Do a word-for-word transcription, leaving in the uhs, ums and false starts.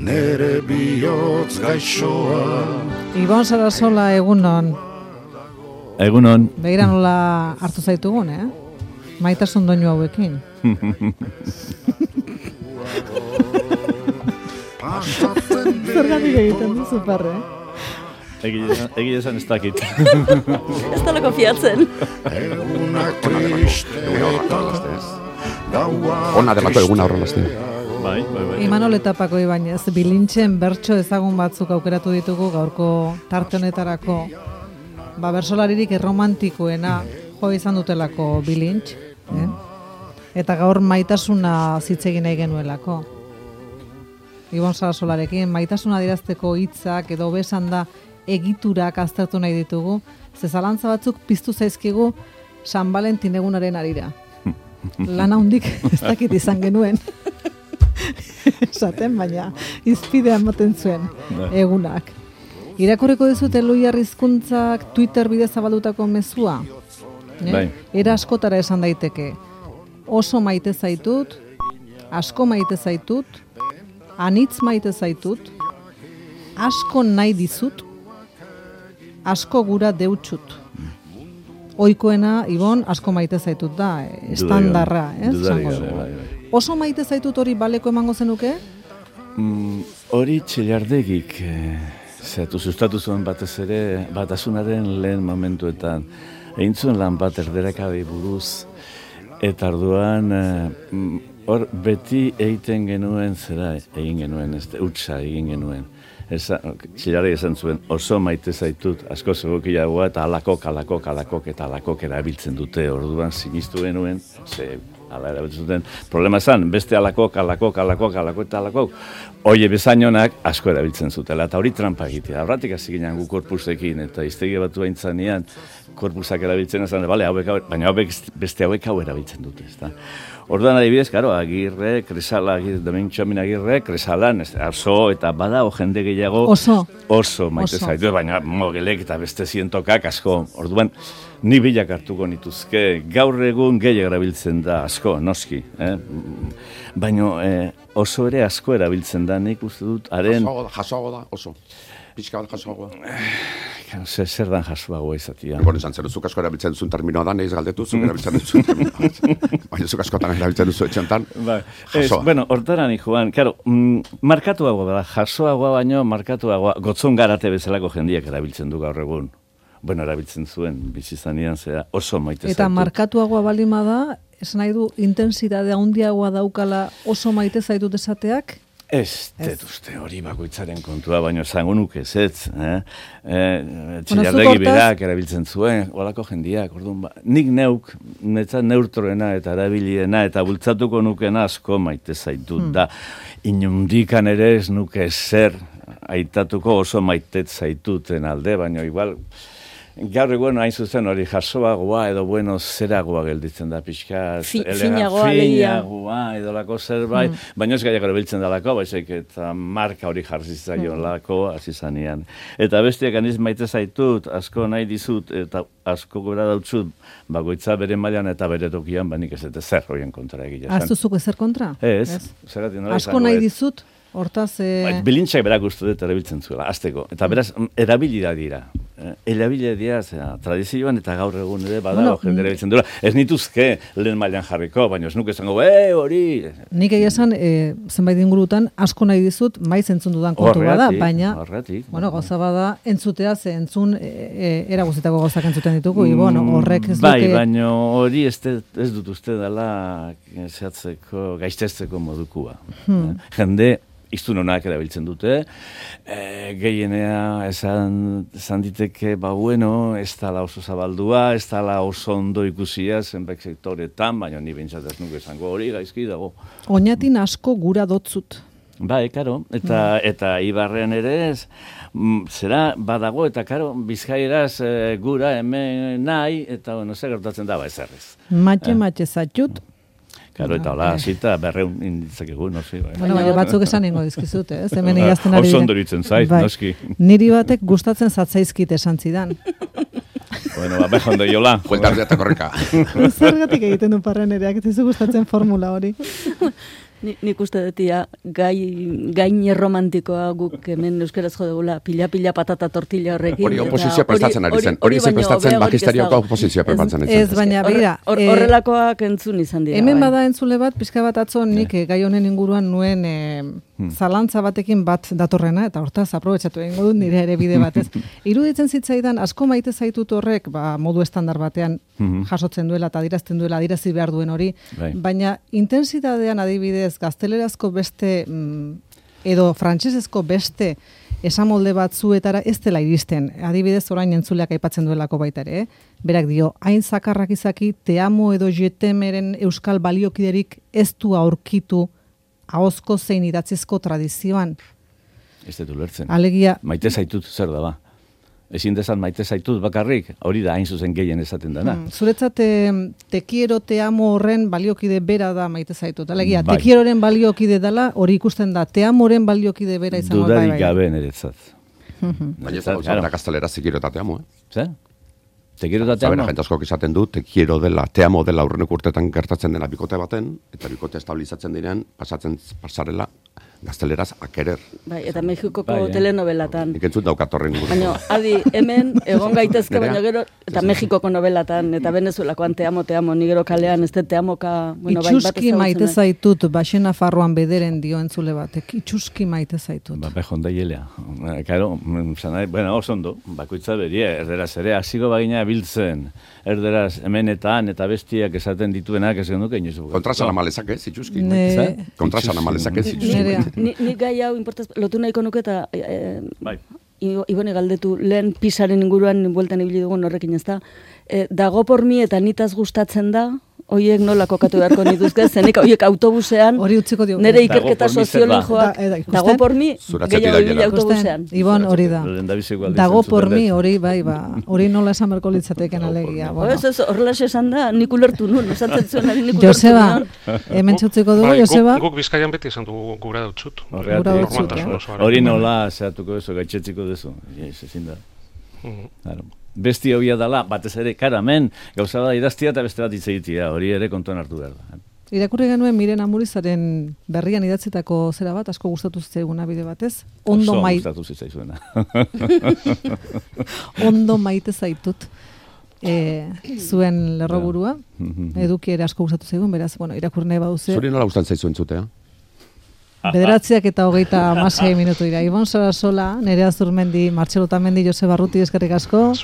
nere bihotz gaixoa. Ibon Sarasola, egunon. Egunon. Begira nola hartu zaitugun, eh? Maitasun doinu hauekin. Zergatik egiten duzu parre? Egia esan ez dakit. Ez da loko fiatzen. Egunak triste eta Ona delako eguna horrelazte. Bai, bai, bai. Imanol Etapako Ibañez, bilintzen bertso ezagun batzuk aukeratu ditugu gaurko tarte honetarako. Ba, bersolaririk erromantikoena jo izan dutelako bilintz, eh? Eta gaur maitasuna zitzegin nahi genuelako. Ibon Sarasolarekin, maitasuna adierazteko hitzak edo besan da egiturak aztertu nahi ditugu, ze zalantza batzuk piztu zaizkigu San Valentin egunaren arira. Lana hundik ez dakit izan genuen. Esaten, baina izpidea ematen zuen egunak. Irakurriko dizut Eloia Rizkuntzak Twitter bidez zabaldutako mezua? Eh? Bai. Era askotara esan daiteke. Oso maite zaitut, asko maite zaitut, anitz maite zaitut, asko nahi dizut, asko gura deutsut. Oikoena, Ibon, asko maite zaitut da, estandarra, ez? Oso maite zaitut hori baleko emango zenuke? Mm, hori txillardegik, eh, zehatu sustatu zuen batez ere, batasunaren lehen momentuetan. Egin zuen lan bat erderakabe buruz, eta orduan, hor eh, beti egiten genuen zera, egin genuen, ez, utsa egin genuen. Txillardegi esan zuen, oso maite zaitut, asko zegokiagoa, eta alakok, alakok, alakok, eta alakok erabiltzen dute, orduan sinistu genuen, ze, ala erabiltzen duten, problema zan, beste alakok, alakok, alakok, alakok, eta alakok, oie bezainonak asko erabiltzen zutela, eta hori trampa egitea. Horratik hasi ginen gu korpusekin, eta iztegi batu haintzanean, korpusak erabiltzen ezan, bale, hauek, baina hauek beste hauek hau erabiltzen dute, ezta. Orduan adibidez, karo, Agirre, Kresala, Domintxamin Agirre, Kresalan, arso, eta bada, o jende gehiago, oso, oso maite zaitu, baina mogelek eta beste zientokak asko. Orduan, ni bilak hartuko nituzke, gaur egun gehiago erabiltzen da asko, noski. Eh? Baina eh, oso ere asko erabiltzen da, nik uste dut, haren... Jasoago da, oso. Pixka bat jasoago da. Zer, zer dan jasoagoa izatia. Egon izan zer, zuk asko erabiltzen duzun terminoa da, nahiz galdetu, zuk erabiltzen duzun terminoa. Baina zuk askotan erabiltzen duzu etxantan, jasoa. Bueno, hortaran, Juan, karo, mm, markatuagoa da, jasoagoa baino, markatuagoa, gotzon garate bezalako jendiak erabiltzen du gaur egun. Bueno, erabiltzen zuen, bizizanean zera, oso maite zaitu. Eta markatuagoa balima da, esan nahi du, intensitate handiagoa daukala oso maite zaitut esateak? Ez, ez uste hori bakoitzaren kontua, baina esango nuke ez, ez. Eh? Eh, Txillardegi berak erabiltzen zuen, olako jendiak, orduan, ba, nik neuk, netzat neurtroena eta erabiliena eta bultzatuko nukena asko maite zaitut hmm. da. Inundikan ere ez nuke zer aitatuko oso maitet zaituten alde, baina igual... Gaur egun hain zuzen hori jasoagoa edo bueno zeragoa gelditzen da pixka finagoa finagoa edo lako zerbait, mm. baina ez gaiak erabiltzen dalako, baizik eta marka hori jarri zaion lako hasi zanean. Eta bestiak aniz maite zaitut, asko nahi dizut eta asko gora dautzut, bakoitza bere mailan eta bere tokian, banik ez eta zer horien kontra egia. Aztuzuko ezer kontra? Ez, zergatik nola asko nahi dizut? Hortaz... Eh... Bilintxak berak uste dut erabiltzen zuela, azteko. Eta beraz, erabilida dira. Erabilida dira, zera, tradizioan eta gaur egun ere badago bueno, jende erabiltzen dira. Ez nituzke lehen mailan jarriko, baina ez nuke esango, e, hori... Nik egia esan, e, zenbait ingurutan, asko nahi dizut, maiz entzun dudan kontu bada, baina... Horretik. Bueno, gauza bada, entzutea, ze entzun, e, e, era guztietako gauzak entzuten ditugu, mm, Ibon, horrek ez duke... Bai, baina hori ez, ez dut uste dela zehatzeko, gaiztezteko modukua. Hmm. Jende... Iztun honak erabiltzen dute, e, gehienea esan, esan diteke, ba bueno, ez tala oso zabaldua, ez tala oso ondo ikusia, zenbait sektoretan, baina ni bintzat ez nuke esango hori gaizki dago. Oñatin asko gura dotzut. Bai, karo, eta, mm. eta Ibarrean ere ez, m, zera badago, eta karo, Bizkaieraz e, gura hemen nahi, eta bueno, zer gertatzen da, ba ezerrez. Matxe, eh? matxe zatxut. Karo, eta hola, zita, berreun inditzakegu, no zi. Bai. Bueno, baina batzuk esan ingo dizkizute, ez? Hemen egazten ari. Oso ondoritzen zait, bai. Noski. Niri batek gustatzen zatzaizkit esan zidan. Bueno, ba, beha ondo jola. Buelta eta korreka. Zergatik egiten du parren ereak, ez dizu gustatzen formula hori. Ni, nik uste dutia, gai, gain erromantikoa guk hemen euskaraz jo dugula, pila-pila patata tortilla horrekin. Hori oposizioa prestatzen ari zen. Hori ze prestatzen magisterioko oposizioa prestatzen ari zen. Ez, baina, begira. Horrelakoak entzun izan dira. Hemen bada entzule bat, pixka bat atzo nik gai honen inguruan nuen zalantza batekin bat datorrena, eta hortaz aprobetxatu egingo dut nire ere bide batez. Iruditzen zitzaidan, asko maite zaitut horrek, ba, modu estandar batean jasotzen duela eta adirazten duela, adirazi behar duen hori, baina intensitatean adibidez gaztelerazko beste edo frantsesezko beste esamolde batzuetara ez dela iristen. Adibidez orain entzuleak aipatzen duelako baita ere, eh? Berak dio, hain zakarrak izaki, te amo edo jetemeren euskal baliokiderik ez du aurkitu ahozko zein idatzizko tradizioan. Ez dut ulertzen. Alegia, maite zaitut zer da ba. Ezin dezan maite zaitut bakarrik, hori da hain zuzen gehien esaten dana. Hmm, zuretzat te quiero, te amo horren baliokide bera da maite zaitut. Alegia, bai. Te quieroren baliokide dela, hori ikusten da, te amoren baliokide bera izango. Dudarik gabe niretzat. Baina ez dago zara gaztelera te quiero eta te amo, eh? Zer? Te quiero eta te amo? Zabera, jente askok esaten du, te quiero dela, te amo dela urreneko urtetan gertatzen dena bikote baten, eta bikote estabilizatzen diren, pasatzen pasarela, gazteleraz akerer. Bai, eta Mexikoko bai, telenovelatan. Nik entzut daukatorren gure. Baina, adi, hemen egon gaitezke, baina gero, eta Mexikoko novelatan, eta Venezuelakoan te amo, te amo, ni gero kalean, ez te amoka... Bueno, itxuski maite zaitut, baxena farroan bederen dio entzule batek, itxuski maite zaitut. Ba, behon da hilea. Karo, zanai, bueno, oso ondo, bakoitza berie, erderaz ere, hasiko bagina biltzen, erderaz hemenetan eta bestiak esaten dituenak, ez genduke inoizu. Kontrasan amalezak ez, itxuski. Kontrasan amalezak ez, itxuski. Ni, ni gai hau importaz, lotu nahiko nuke eta e, bai. Ibone galdetu, lehen pisaren inguruan bueltan ibili dugun horrekin ez da. E, dago por mi eta nitaz gustatzen da, hoiek nola kokatu beharko nituzke, zenik hoiek autobusean, hori utziko diogu. Nere ikerketa soziologikoak, da, dago por mi, gehiago ibili autobusean. Ibon, hori da. Dago por mi, hori, bai, ba, hori nola esan berko litzateken alegia. Bueno. Ez, ez, horrela esan da, nik ulertu nun, esan zentzuen nik ulertu nun. Joseba, hemen txutziko dugu, Joseba? Guk Bizkaian beti esan dugu gura dutzut. Gura dutzut, hori nola zehatuko duzu, gaitxetziko duzu. Ezin da. Claro. Besti hobia dela, batez ere, karamen, gauza da idaztia eta beste bat hitz egitea, hori ere kontuan hartu behar da. Irakurri genuen Miren Amurizaren berrian idatzetako zera bat, asko gustatu zitzaiguna bide batez. Ondo Oso mai... gustatu zitzaizuena. Ondo maite zaitut. E, zuen lerroburua, eduki ere asko gustatu zaigun, beraz, bueno, irakurri nahi baduze. Zuri nola gustatzen zaizu entzutea? Bederatziak eta hogeita hamasei minutu dira. Ibon Sarasola, Nerea Zurmendi, Martxelo Tamendi, Joseba Barruti, eskerrik asko.